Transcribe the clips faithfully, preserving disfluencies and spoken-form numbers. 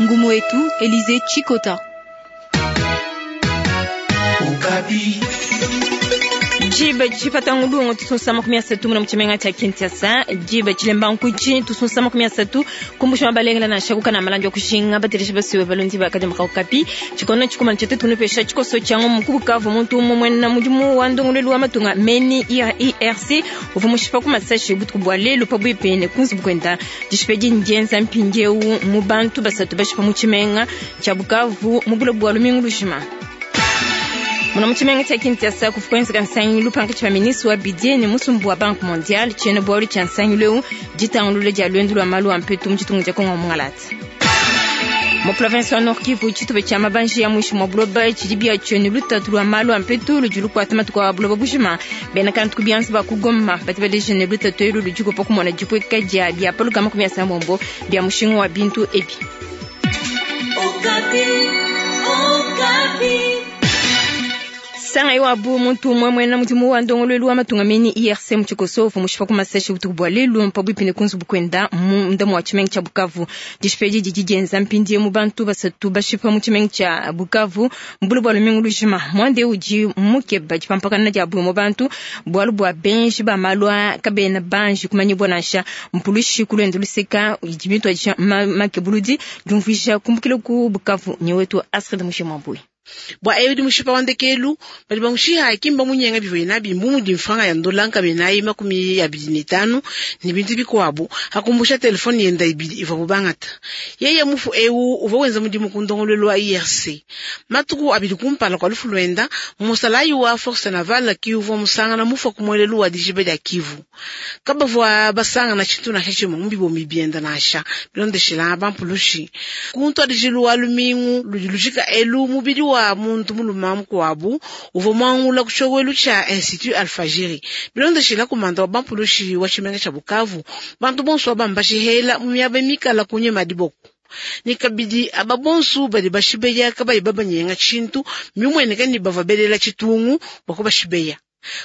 Ngumu wetu Elize Chikota. Jibe chipata ngulungu tusunsa makumi asatu muna muchimenga cha Kinshasa. Jibe chilemba nkuchi tusunsa makumi asatu kumbusha mabalengela na shakuka na malanjo kushinga batirisha basiwe balundi bakade makaokapi chikono chikumana chete tunupesha chikoso chango mukubukavu muntu umwe na mudimu wa ndongolelu wa matunga meni I R C uvu mushipa ku masashi butuku bwa lelo pa bwipene kunzi bukwenda dishipedi njenza mpindiewu mu bantu basatu bashipa muchimenga cha Bukavu mubula bwa lumingu lushima. Muna muchimenga cha Kinshasa kufukwenzeka nsangilu pankatshi pa ministre wa budget ne musumbu wa Banque Mondiale tshiena bualu tshia nsangilu eu ditangulula dia luendu lua malu a mpetu mu tshitungu tshia Kongo Mungalata. Mu province wa Nord Kivu tshitupa tshia mabanji ya mwishi mwa buloba tshidi bia tshienu lutatu lua malu a mpetu ludi lukuata matuku a buloba bujima. Bena kantu ku bianza ba ku Goma badi baleja ne lutatu elu ludi kupa kumona dipueka dia bia pa lukama makumi asambombo bia mushinga wa bintu ebi. Okapi, Okapi. Sanga yo abu muntu umwe mwena mudimu wa ndongolelu wa matunga meni I R C mu Tshikosovo mushipa ku masashi butuku bua lelu mpabwipi ne kunzu bukwenda mu ndamu wa tshimenga tshia Bukavu. Dishipedi didi dienza mpindie mu bantu basatu bashipa mu tshimenga tshia Bukavu mbulu bua lumingu lujima. Mwande udi mukeba dipampakana dia bu mu bantu bualu bua benji ba malwa kabena banji kumanyibwa nansha mpulushi kulwendo luseka idi mitwa dia makebuludi diumvuija kumbukila ku Bukavu nyewetu Astrid Mushimwambui. Bwa ebi mushipa wa ndekelu bali bamushiha kimba munyenga bivuye nabi mbumu di mfranga ya ndola nkabe makumi abidi ne tanu ni bintu bikuabu hakumbusha telefoni yenda ibidi ivua bubangata yeye mufu ewu uvua wenza mudimu ku ndongoluelu wa I R C matuku abidi kumpala kwa lufu lwenda musalayi wa force navale ki uvua musangana mufu kumuelelu wa dijibe dia Kivu kabavua basangana tshintu nansha tshimue mu bibomi bienda nansha bilondeshela bampulushi kuntu adijilu wa lumingu ludi lujika elu mubidi wa muntu muluma mukuabu uvua muangula kushowelu tsha Institut Alfajiri bilondeshela kumanda wa bampulushi wa tshimenga tsha Bukavu bantu bonso bambashihela mu miaba mikala kunye madiboko ni kabidi aba bonso badi bashibeya kabayi babanyenga tshintu mimueneka ni bava belela tshitungu bwako bashibeya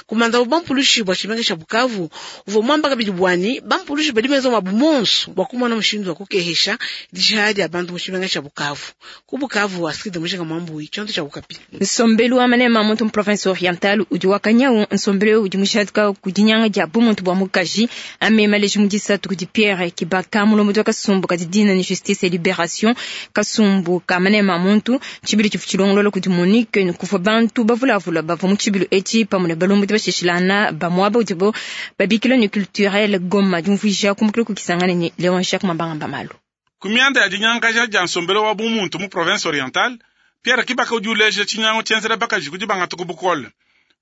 kumanda wa bampulushi bwa tshimenga tsha Bukavu uvua muamba kabidi bwani bampulushi badi benza mwabu monso bwa kumona mushindu wa kukehesha dishiha dia bantu mu tshimenga tsha Bukavu ku Bukavu Astrid Mushinga Mwambui tshionto tsha Bukapi. Nsombelu wa manema muntu mu province orientale udi wakanyau nsombelu udi mushadika ku dinyanga dia bumuntu bua mukaji amema leji mu disatu kudi Pierre Kibaka mulombodi wa kasumbu ka didina ni justice et libération kasumbu ka manema muntu tshibili tshifu tshilongolola kudi Monique ne kuvua bantu bavulavula bavua mu tshibilu etshi pamue ne balombodi bashishilana bamuaba udibo babikila ni culturel Goma diumvuija kumbukila kukisangana ni Leon Jacques Mabanga Malu. Kumianda ya dinyangaja dia nsombelo wa bumuntu mu province orientale Pierre Kibaka udi uleja tshinyango tshienzela bakaji kudi bangata ku bukole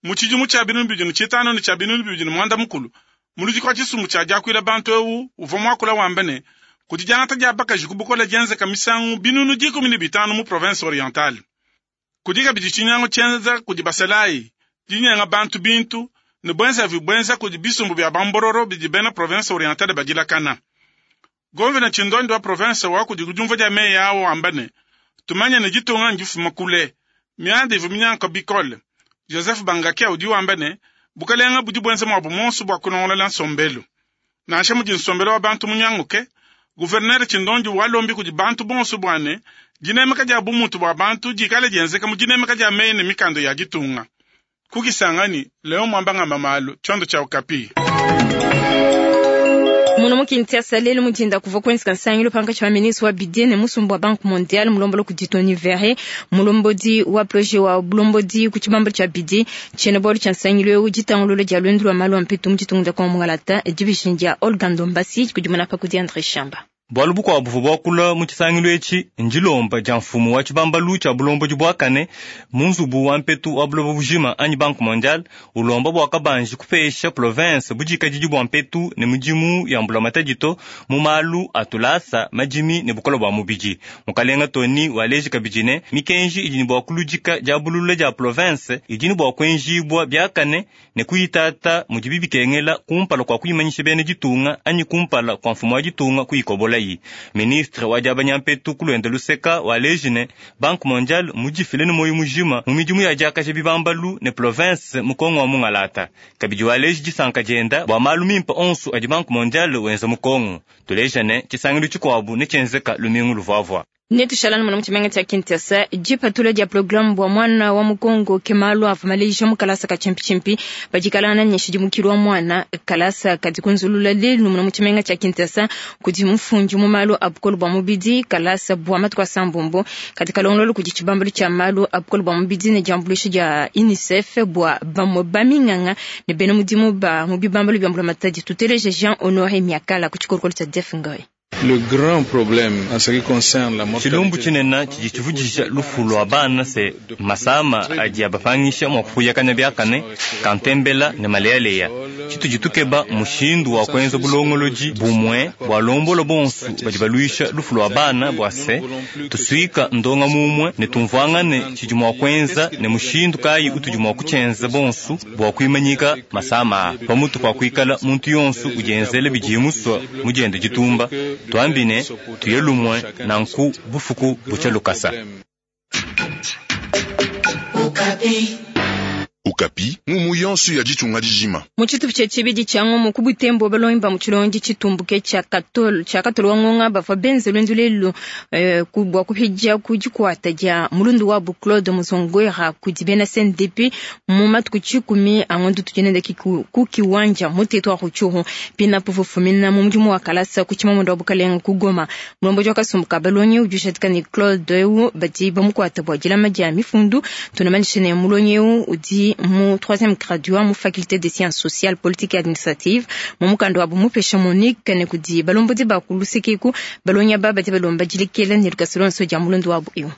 mu tshidimu tshia binunu bibidi ne tshitanu ne tshia binunu bibidi ne muanda mukulu muludi kwa tshisumbu tshia diakuila bantu ewu uvua muakula wamba ne kudi diangata dia bakaji ku bukole dienzeka misangu binunu dikumi ne bitanu mu province orientale kudi kabidi tshinyango tshienza kudi basalayi dinyenga bantu bintu ne bwenza vibwenza kudi bisumbu bia bambororo bidi bena province orientale badilakana. Governor Chindondi wa province wa kudi kujumva dia meyi awo amba ne tumanye ne ditunga ndifuma kule mianda ivu minyanka bikole. Joseph Bangakia udi wamba ne bukalenga budi bwenza mwabu monso bua kulongolola nsombelu nansha mudi nsombelu wa bantu munyanguke. Gouverneur Chindondi walombi kudi bantu bonso bua ne dinemeka dia bumuntu bua bantu dikale dienzeka mu dinemeka dia meyi ne mikando ya ditunga. Kukisangani Leon Mwambanga Mamalu tshiondo tshia Okapi. Muno mu Kinshasa lelo mudinda kuvua kuenzeka nsangilu pankatshi pa ministre wa budget ne musumbu wa Banque Mondiale mulombolo kudi Tony Verre mulombodi wa projet wa bulombodi ku tshibambalu tshia budget tshiena bualu tshia nsangilu eu ditangulula dia luendu lua malu a mpetu mu ditunga dia Kongo Mungalata division dia Olga Ndombasi kudi munapa kudi André Shamba. Bualu bukuabu buvua buakula mu tshisangilu etshi ndilomba dia mfumu wa tshibambalu tshia bulombodi buakane mu nzubu wa mpetu wa buloba bujima anyi Banque Mondiale ulomba bua kabanji kupesha province budikadidi bua mpetu ne mudimu ya mbulamatadi to mu malu a tulasa madimi ne bukole bua mubidi. Mukalenga Tony waleji kabidi ne mikenji idi ne bua kuludika dia bulula dia province idi ne bua kuenjibua biakane ne kuyitata mudibi bikengela kumpala kua kuyimanyisha bena ditunga anyi kumpala kua mfumu wa ditunga kuyikobola. mulayi. Ministre wa diabanya mpetu ku luende luseka waleji ne Banque mondiale mudifile ne moyo mujima mu midimu ya diakaja bibambalu ne province mu Kongo wa mungalata. Kabidi waleji disanka dienda bua malu mimpe onso adi Banque mondiale wenza mu Kongo. Tuleja ne tshisangilu tshikuabu ne tshienzeka lumingu luvuavua. Netushalana mwana mutshimenga tshia Kinshasa dipatula dia programme bua mwana wa mukongo ke malu avua maleja mu kalasa ka tshimpitshimpi badikalana ne nshidimukilu wa mwana kalasa kadi kunzulula lelu muna mutshimenga tshia Kinshasa kudi mufundi mu malu a bukole bua mubidi kalasa bua matuku asambombo kadi kalongololo kudi tshibambalu tshia malu a bukole bua mubidi ne diambuluisha dia UNICEF bua bamue baminganga ne bena mudimu ba mu bibambalu bia mbulamatadi. Tuteleje Jean Honoré Miakala ku tshikolokolo tshia Def Ngoy. Le grand problème en ce qui concerne la mortalité Tshilumbu tshinene tshidi tshivudija lufu lua bana se masama adi abapangisha mua kufuyakana biakane kantembela ne malealeya. Tshitudi tukeba mushindu wa kuenza bulongolodi bumue bua lombola bonso badi baluisha lufu lua bana bua se tusuika ndonga mumue ne tumvuangane tshidi mua kuenza ne mushindu kayi utudi mua kutshienza bonso bua kuimanyika masama pamutu pa kuikala muntu yonso udienzela bidiye musua mudiende ditumba. Twambine tuye lumwe nanku bufuku butsha lukasa. Okapi ngumu yonso ya ditunga dijima. Mu tshitupa tshia tshibidi tshia ngumu ku Butembo balongi ba mu tshilongi tshitumbuke tshia Katolo tshia Katolo wa ngonga bavua benze luendu lelu eh, ku bua kupidia ku dikuata dia mulundu wabu Claude Muzongwera kudi bena C N D P mu matuku tshikumi a ngondu tujenende ku kiwanja mu territoire Rutshuru pina puvu fumina mu mudimu wa kalasa ku tshimamundo wa bukalenga ku Goma. Mulomboji wa kasumbu ka balongi udi ushatika ne Claude eu badi bamukuata bua dilama dia mifundu. Tunamanyisha ne mulongi eu udi mu troisième graduat mu faculté des sciences sociales, politiques et administratives mu mukanda wa bumupesha Monique ne kudi balombodi ba ku lusekeku balongi aba badi balomba dilekela ne lukasa luonso dia mulondu wabu eu.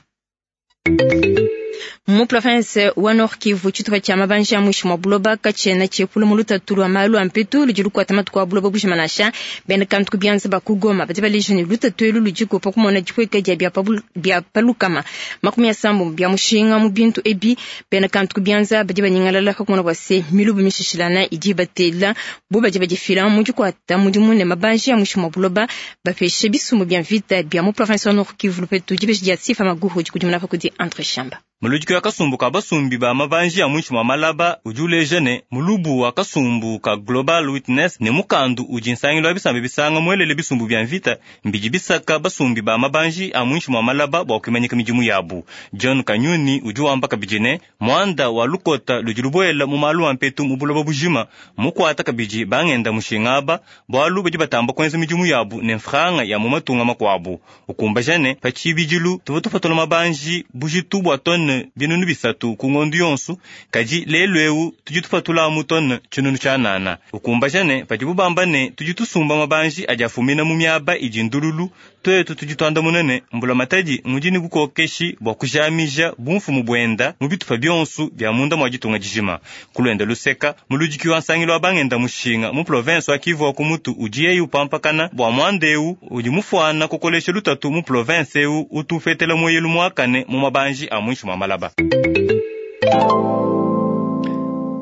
Mu province wa Nord Kivu tshitupa tshia mabanja muishi mwa buloba katshiena tshiepula mu lutatu lua malu a mpetu ludi lukuata matuku a buloba bujima nansha bena kantu ku bianza ba ku Goma badi baleja ne lutatu elu ludi kupa kumona dipueka dia bia palukama makumi asambo bia mushinga mu bintu ebi bena kantu ku bianza badi banyingalala kakumona bua se milubu mishishilana idi batela bo badi badifila mu dikuata mudimu ne mabanja muishi mwa buloba bapeshe bisumbu bia mvita bia mu province wa Nord Kivu lupetu dibeji dia Sifa Maguhu dikudimuna pa kudi Andre Shamba. Muludiki wa kasumbu ka basumbi ba mabanji ya muinshi mwa malaba udi uleja ne mulubu wa kasumbu ka Global Witness ne mukandu udi nsangilu wa bisambi bisanga muelele bisumbu bia mvita mbidi bisaka basumbi ba mabanji a muinshi mwa malaba bua kuimanyika midimu yabu. John Kanyuni udi wamba kabidi ne muanda wa lukota ludi lubuela mu malu a mpetu mu buloba bujima mukuata kabidi bangenda mushinga aba bualu badi batamba kuenza midimu yabu ne mfranga ya mu matunga makuabu. Ukumbaja ne pa tshibidilu tuvua tupatula mabanji bujitu bua tonne binunu bisatu ku ngondu yonso kadi lelu eu tudi tupatula mu tonne tshinunu tshianana. Ukumbaja ne padibu bamba ne tudi tusumba mabanji adi afumina mu miaba idi ndululu twetu tudi tuandamuna ne mbula matadi ngudi ne bukokeshi bua kujamija bumfumu buenda mu bitupa bionso bia munda mua ditunga dijima. Kulwenda luseka muludiki wa nsangilu wa bangenda mushinga mu province wa Kivu wa kumutu udi yeyi upampakana bua muanda eu udi mufuana kukolesha lutatu mu province eu utufetela moyelu muakane mu mabanji a muinshi mua malaba.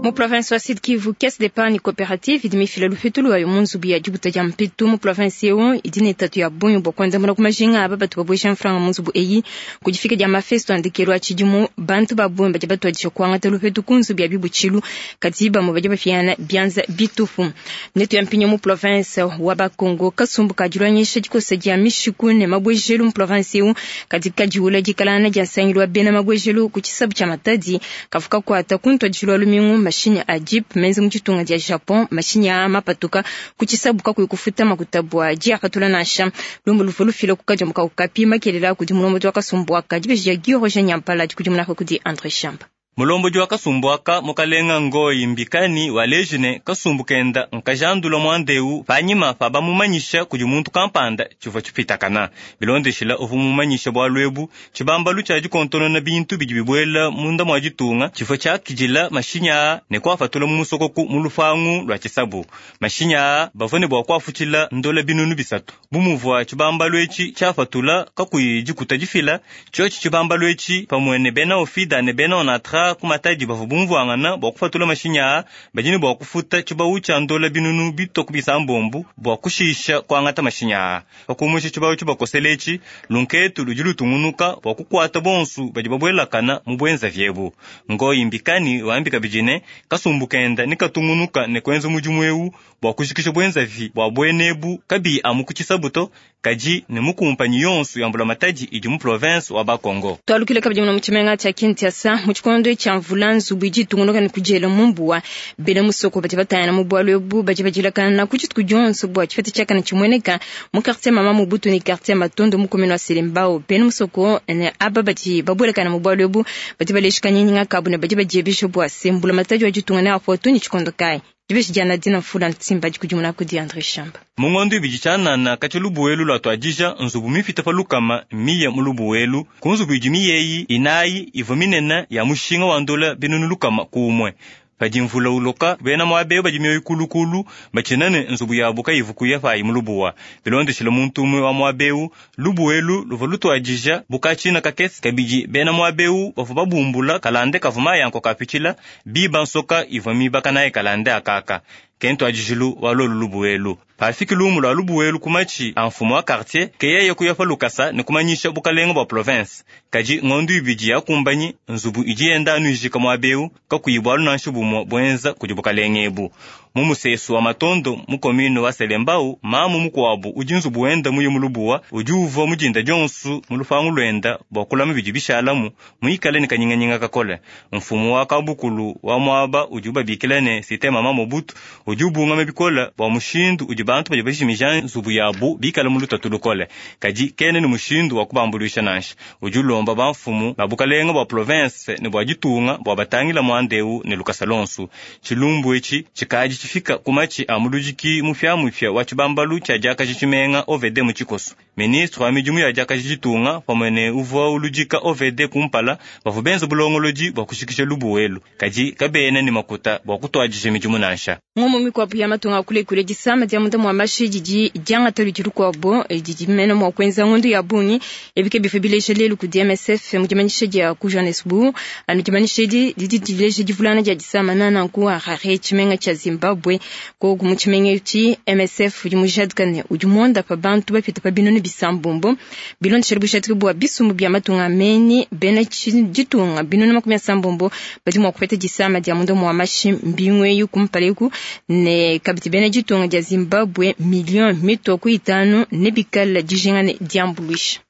Mu province wa Sud Kivu, caisse d'épargne coopérative idi mifila lupetu lwayo mu nzubu ya dibuta dia mpetu mu province eu idi ne tatu ya bungi bua kuandamuna ku majinga aba batu babuesha mfranga mu nzubu eyi ku difika dia mafesto andekelu a tshidimu bantu ba bungi badi batuadija kuangata lupetu ku nzubu ya bibutshilu kadi bamue badi bafiana bianza bitupu. Netu ya mpinyo mu province wa Bakongo kasumbu kadilwanyisha dikosa dia mishiku ne mabwejelu mu province eu kadi kadiula dikalana dia nsangilu wa bena mabwejelu ku tshisabu tshia Matadi kavuka kuata kuntuadijilwa lumingu mashini a jeep menze mu ditunga dia Japon mashini a mapatuka ku tshisabu kakuyi kufuta makuta bua diapatula nansha lumbu luvua lufila ku kadiombo ka Okapi makelela kudi mulombodi wa kasumbu aka dibeji dia Guy Roger Nyampala dikudimuna kudi Andre Shamba. Mulombodi wa kasumbu aka mukalenga Ngoyi Mbikani waleji ne kasumbu kenda nkajandula muandeu panyima pa bamumanyisha kudi muntu kampanda tshivua tshipitakana. Bilondeshila uvua mumanyisha bualu ebu tshibambalu tshia dikontonona bintu bidi bibuela munda mua ditunga tshivua tshiakidila mashinyi aa ne kuafatula mu musokoku mu lupangu lua tshisabu. Mashinyi aa bavua ne bua kuafutshila ndola binunu bisatu. Bu muvua tshibambalu etshi tshiafatula kakuyi dikuta difila tshiotshi tshibambalu etshi pamue ne bena ofida ne bena onatra ba ku Matadi bavua bumvuangana bua kupatula mashinyi aa badi ne bua kufuta tshibawu tshia ndola binunu bitue ku bisambombo bua kushisha kuangata mashinyi aa. Pakumusha tshibawu tshibakosela etshi, lunketu ludi lutungunuka bua kukuata bonsu badi babuelakana mu buenzavi ebu. Ngoyi Mbikani wambi kabidi ne kasumbu kenda ne katungunuka ne kuenza mudimu ewu bua kujikija buenzavi bua buenebu kabiyi amu ku tshisabu to, kadi ne mu kumpanyi yonsu ya mbulamatadi idi mu province wa Bakongo. Twalukile kabidi muno mu tshimenga tshia Kinshasa mu tshikondo tshia mvula nzubu idi itungunuka ne kudiela mu mbuwa. Bena musoko badi batayana mu bualu ebu badi badilakana ku dituku dionso bua tshipeta tshiakane tshimueneka mu quartier Mama Mobutu ne quartier Matondo mu commune wa Selembao. Bena musoko ne aba badi babuelakana mu bualu ebu badi baleshika nyinyinga kabu ne badi badiebesha bua se mbulamatadi wa ditunga ne apo tu ne tshikondo kayi. Dibeshi dia Nadine Mfula Ntimba dikudimuna kudi Andre Shamba. Mu ngondo ibidi tshianana katshia lubuwelu lua tuadija nzubu mipite pa lukama miye mu lubuwelu. Ku nzubu idi miyeyi inayi ivua minene ya mushinga wa ndola binunu lukama kumue. Padi mvula uloka bena muabe badi mioyo kulukulu batshina ne nzubu yabu kayivu kuya payi mu lubuwa. Bilondeshile muntu umue wa muabewu lubuwelu luvua lutuadija bukatshina kakese kabidi bena muabewu bavua babumbula kalande kavua mayanko kapitshila biba nsoka ivua mibaka naye kalande akaka. Kento ajijilu wa lolu lubuwelu. Pafiki lumu lwa lubuwelu kumachi a mfumu wa quartier keyeye kuya pa lukasa ne kumanyisha bukalenga bua province. Kadi ngondu ibidi ya kumbanyi nzubu idi yenda anuijika muabewu kakuyi bwalu nansha bumue bwenza kudi bukalenga ebu. Mu musesu wa Matondo mu commune wa Selembao mamu mukuabu udi nzubu wenda muye mu lubuwa udi uvua mudinda dionsu mu lupangu lwenda bua kulama bidi bishalamu muikale ne kanyinganyinga kakole. Mfumu wa kabukulu wa muaba udi ubabikila ne Cité Mama Mobutu udi ubungama bikola bua mushindu udi bantu badi bajimija nzubu yabu bikale mu lutatu lukole, kadi kene ne mushindu wa kubambuluisha nansha. Udi ulomba bamfumu ba bukalenga bua province ne bua ditunga bua batangila muandeu ne lukasa lonsu. Tshilumbu etshi tshikadi tshifika ku matshi a muludiki mupyamupya wa tshibambalu tshia diakaji tshimenga O V D mu tshikoso. Ministre wa midimu ya diakaji ditunga pamue ne uvua uludika O V D kumpala bavua benza bulongolodi bua kushikisha lubuwelu, kadi kabena ne makuta bua kutuadija midimu nansha. Ngomo mikwabu ya matunga kule kule disama dia munda mwa mashi didi diangata ludi lukwabo didi mena mwa kwenza ngondo ya bungi ebike bife bileje lelu ku D M S F mu dimanyisha dia ku Johannesburg anu dimanyisha edi didi dileje divulana dia disama nana ku Harare tshimenga tshia Zimbabwe ko ku mu tshimenga etshi M S F udi mujadika ne udi monda pa bantu bapita pa binunu bisambombo bilondeshele bushadiki bua bisumbu bia matunga meni bena ditunga binunu makumi asambombo badi mwa kupeta disama dia munda mwa mashi mbingweyu kumpaleku ne kabidi bena ditunga dia Zimbabwe million mitoko itanu ne bikala dijinga ne diambuluisha.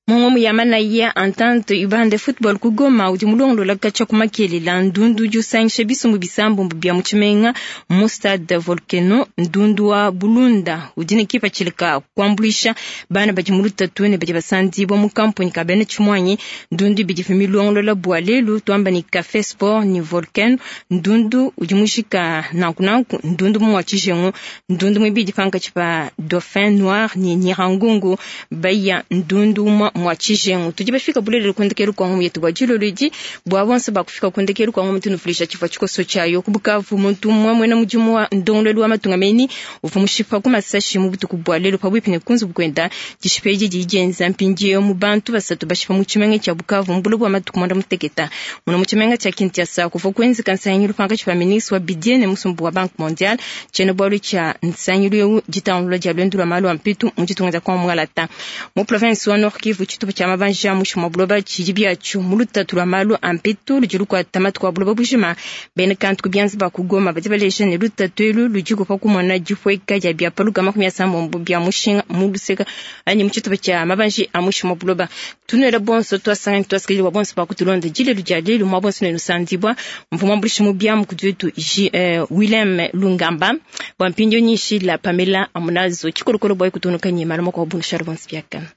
Mungu yamana ya entente ubande football ku Goma udi mulongolola kacha kumakelela ndundu jusangisha bisumbu bisambombo bya muchimenga mu stade Volcano ndundu wa Bulunda udi ne kipa chilika kuambulisha bana badi mulutatu ne badi basandibwa mu kampuni kabene chimwanyi ndundu bidi milongolola bwa lelu twamba ni Café Sport ni Volcano ndundu udi mushika nanku nanku ndundu mu wachijengo ndundu mwibidi panka chipa Dauphin Noir ni Nyirangungu baya ndundu mwa mwachijengo tudi bafika bulelelo kundekelu kwa ngomu yetu bwa jilolodi bwa bonse bakufika kundekelu kwa ngomu tunufulisha chifwa chikoso chayo kubukavu muntu mwe mwena mujimu wa ndongolelu wa matunga meni uvu mushipa ku masashi mu butuku bwa lelo pabwipi ne kunzu bukwenda dishipeji dijenza mpindiyo mu bantu basatu bashipa mu chimenga cha Bukavu mbulo bwa matuku mwanda muteketa muno mu chimenga cha Kinshasa kuva kwenzeka nsanyilu panga chipa ministre wa budget ne musumbu wa Banque Mondiale chene bwalu cha nsanyilu jitangula dia lwendu lwa malu ampitu mu ditunga kwa mwalata mu province wa Nord Kivu chitupu cha mabanja mushu buloba chidi byachu mulutatu lwa malu ampitu lujilu kwa tamatu kwa buloba bujima bene kantu kubyanzi bakugoma bati balesha ne lutatu elu lujiku pa kumona jipweka ja bya paluka makumi asambombo bya mushinga muluseka ani muchitupu cha mabanja amushu buloba tunela bonso twasanga twasikili wa bonso bakutulonda jile lujalelu mwa bonso ne lusandibwa mvuma mbulishi mu bya mukudutu eh, Willem Lungamba bwa mpindio nyishi la Pamela Amunazo chikolokolo boy kutunuka nyima kwa bunusharu bonso byakana.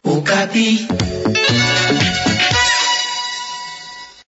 Okapi.